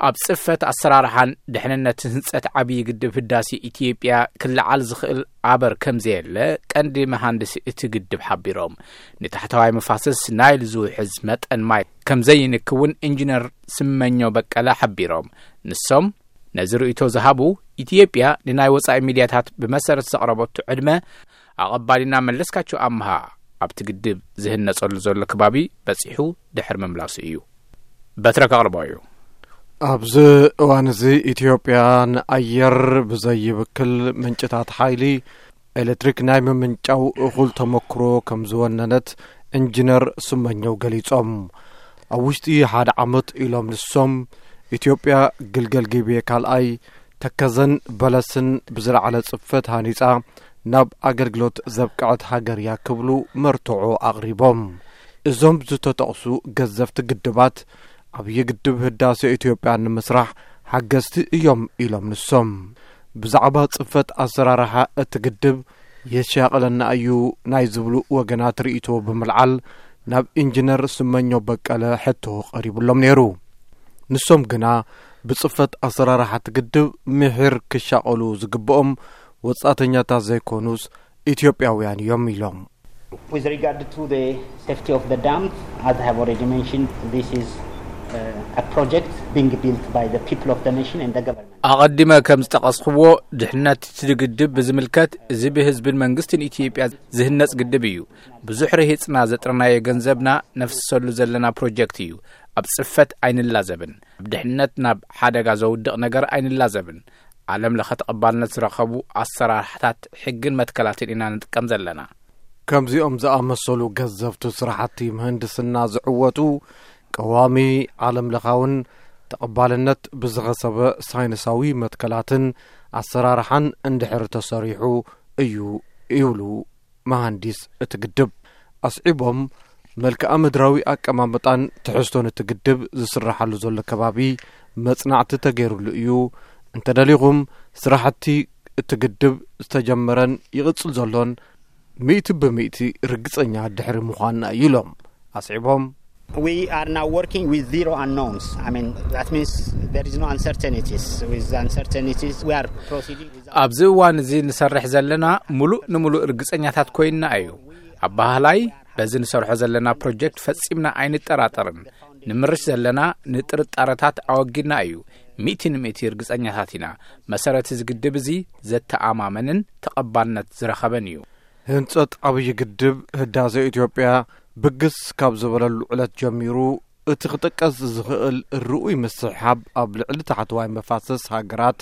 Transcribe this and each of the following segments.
ኣብ ጽፈት ኣሰራርሓን ድሕንነት ህንጸት ዓብዪ ግድብ ህዳሴ ኢትዮጵያ ክለዓል ዝኽእል ኣበር ከም ዘየለ ቀንዲ መሃንድስ እቲ ግድብ ሓቢሮም። ንታሕተዋይ መፋሰስ ናይል ዝውሕዝ መጠን ማይ ከም ዘይንክውን ኢንጂነር ስመኞ በቀለ ሓቢሮም። ንሶም ነዚ ርእይቶ ዝሃቡ፣ ኢትዮጵያ ንናይ ወጻኢ ሚድያታት ብመሰረት ዘቕረበቱ ዕድመ ኣቐባሊና መለስካቸው ኣምሃ ኣብቲ ግድብ ዝህነጸሉ ዘሎ ከባቢ በጺሑ ድሕሪ ምምላሱ እዩ። በትረ ከቕርቦ እዩ። ኣብዚ እዋን እዚ ኢትዮጵያ ንኣየር ብዘይብክል ምንጭታት ሓይሊ ኤሌክትሪክ ናይ ምምንጫው እኹል ተመክሮ ከም ዝወነነት ኢንጂነር ስመኘው ገሊጾም። ኣብ ውሽጢ ሓደ ዓመት ኢሎም ንሶም፣ ኢትዮጵያ ግልገል ጊቤ ካልኣይ፣ ተከዘን በለስን ብዝለዓለ ጽፈት ሃኒጻ ናብ ኣገልግሎት ዘብቅዐት ሃገር እያ ክብሉ መርትዖ ኣቕሪቦም። እዞም ዝተጠቕሱ ገዘፍቲ ግድባት ዓብዪ ግድብ ህዳሴ ኢትዮጵያ ንምስራሕ ሓገዝቲ እዮም ኢሎም ንሶም። ብዛዕባ ጽፈት ኣሰራርሓ እቲ ግድብ የሻቕለና እዩ ናይ ዝብሉ ወገናት ርእይቶ ብምልዓል ናብ ኢንጂነር ስመኞ በቀለ ሕቶ ቀሪቡሎም ነይሩ። ንሶም ግና ብጽፈት ኣሰራርሓ እቲ ግድብ ምሒር ክሻቐሉ ዝግብኦም ወጻእተኛታት ዘይኮኑስ ኢትዮጵያውያን እዮም ኢሎም። With regard to the safety of the dam, as I have already mentioned, this is uh, a project being built by the people of the nation and the government. ኣቐዲመ ከም ዝጠቐስኽዎ፣ ድሕነት እቲ ግድብ ብዝምልከት፣ እዚ ብህዝብን መንግስትን ኢትዮጵያ ዝህነጽ ግድብ እዩ። ብዙሕ ረሂጽና ዘጥረናዮ ገንዘብና ነፍስሰሉ ዘለና ፕሮጀክት እዩ። ኣብ ጽፈት ኣይንላዘብን። ኣብ ድሕነት ናብ ሓደጋ ዘውድቕ ነገር ኣይንላዘብን። ዓለም ለኸ ተቐባልነት ዝረኸቡ ኣሰራርሓታት ሕግን መትከላትን ኢና ንጥቀም ዘለና። ከምዚኦም ዝኣመሰሉ ገዘፍቲ ስራሕቲ ምህንድስና ዝዕወቱ፣ ቀዋሚ ዓለም ለኻውን ተቐባልነት ብዝኸሰበ ሳይንሳዊ መትከላትን ኣሰራርሓን እንድሕር ተሰሪሑ እዩ ይብሉ መሃንዲስ እቲ ግድብ። ኣስዒቦም፣ መልክኣ ምድራዊ ኣቀማምጣን ትሕዝቶን እቲ ግድብ ዝስራሓሉ ዘሎ ከባቢ መጽናዕቲ ተገይሩሉ እዩ። እንተደሊኹም፣ ስራሕቲ እቲ ግድብ ዝተጀመረን ይቕጽል ዘሎን ሚእቲ ብሚእቲ ርግጸኛ ድሕሪ ምዃንና እዩ ኢሎም ኣስዒቦም። We are now working with zero unknowns. I mean, that means there is no uncertainties. With uncertainties, we are proceeding with ኣብዚ እዋን እዚ ንሰርሕ ዘለና፣ ሙሉእ ንሙሉእ ርግጸኛታት ኮይንና እዩ። ኣባህላይ፣ በዚ ንሰርሖ ዘለና ፕሮጀክት ፈጺምና ኣይንጠራጠርን። ንምርሽ ዘለና ንጥርጣረታት ኣወጊድና እዩ። ሚእቲ ንሚእቲ ርግጸኛታት ኢና። መሰረት እዚ ግድብ እዚ ዘተኣማመንን ተቐባልነት ዝረኸበን እዩ። ህንጸት ዓብዪ ግድብ ህዳሴ ኢትዮጵያ ብግስ ካብ ዝበለሉ ዕለት ጀሚሩ፣ እቲ ክጥቀስ ዝኽእል ርኡይ ምስሕሓብ ኣብ ልዕሊ ታሕተዋይ መፋሰስ ሃገራት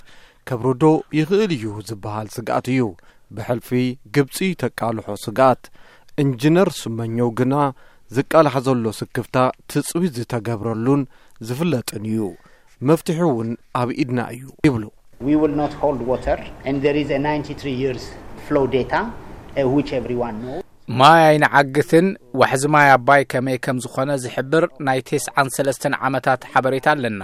ከብርዶ ይኽእል እዩ ዝበሃል ስግኣት እዩ። ብሕልፊ ግብጺ ተቃልሖ ስግኣት። ኢንጂነር ስመኘው ግና፣ ዝቃላሕ ዘሎ ስክፍታ ትጽቢት ዝተገብረሉን ዝፍለጥን እዩ። መፍትሒ እውን ኣብ ኢድና እዩ ይብሉ። We will not hold water, and there is a ninety-three years flow data, uh, which everyone knows. ማይ ኣይንዓግትን። ዋሕዚ ማይ ኣባይ ከመይ ከም ዝኾነ ዝሕብር ናይ ተስዓን ሰለስተን ዓመታት ሓበሬታ ኣለና።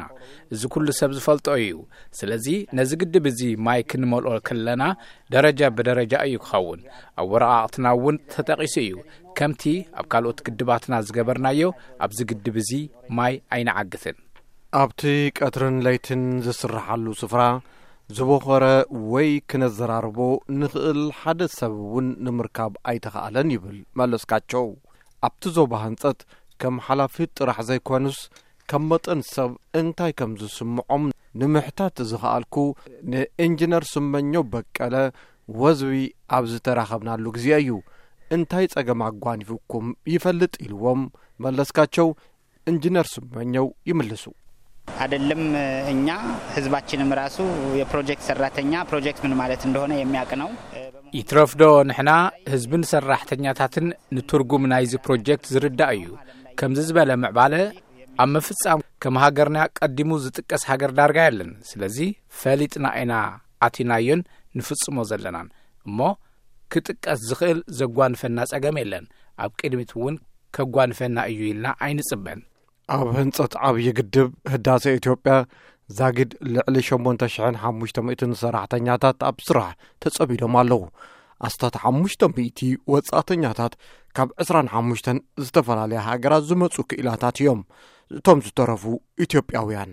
እዚ ኩሉ ሰብ ዝፈልጦ እዩ። ስለዚ ነዚ ግድብ እዚ ማይ ክንመልኦ ከለና ደረጃ ብደረጃ እዩ ክኸውን። ኣብ ወረቓቕትና እውን ተጠቒሱ እዩ። ከምቲ ኣብ ካልኦት ግድባትና ዝገበርናዮ፣ ኣብዚ ግድብ እዚ ማይ ኣይንዓግትን። ኣብቲ ቀትርን ለይትን ዝስርሓሉ ስፍራ ዝቦኸረ ወይ ክነዘራርቦ ንኽእል ሓደ ሰብ እውን ንምርካብ ኣይተኻእለን ይብል መለስካቸው። ኣብቲ ዞባ ህንጸት ከም ሓላፊ ጥራሕ ዘይኮኑስ፣ ከም መጠን ሰብ እንታይ ከም ዝስምዖም ንምሕታት ዝኸኣልኩ ንኢንጂነር ስመኘው በቀለ ወዝቢ ኣብ ዝተራኸብናሉ ግዜ እዩ። እንታይ ጸገም ኣጓኒፉኩም ይፈልጥ ኢልዎም መለስካቸው፣ ኢንጂነር ስመኘው ይምልሱ። አይደለም እኛ፣ ህዝባችንም ራሱ የፕሮጀክት ሰራተኛ፣ ፕሮጀክት ምን ማለት እንደሆነ የሚያውቅ ነው። ይትረፍዶ ንሕና ህዝብን ሰራሕተኛታትን ንትርጉም ናይዚ ፕሮጀክት ዝርዳእ እዩ። ከምዚ ዝበለ ምዕባለ ኣብ ምፍጻም ከም ሃገርና ቀዲሙ ዝጥቀስ ሃገር ዳርጋ የለን። ስለዚ ፈሊጥና ኢና ኣቲናዮን ንፍጽሞ ዘለናን። እሞ ክጥቀስ ዝኽእል ዘጓንፈና ጸገም የለን። ኣብ ቅድሚት እውን ከጓንፈና እዩ ኢልና ኣይንጽበን። ኣብ ህንጸት ዓብዪ ግድብ ህዳሴ ኢትዮጵያ ዛጊድ ልዕሊ ሸሞንተ ሽሕን ሓሙሽተ ሚእትን ሰራሕተኛታት ኣብ ስራሕ ተጸሚዶም ኣለዉ። ኣስታት ሓሙሽተ ሚእቲ ወጻእተኛታት ካብ ዕስራን ሓሙሽተን ዝተፈላለያ ሃገራት ዝመጹ ክኢላታት እዮም። እቶም ዝተረፉ ኢትዮጵያውያን።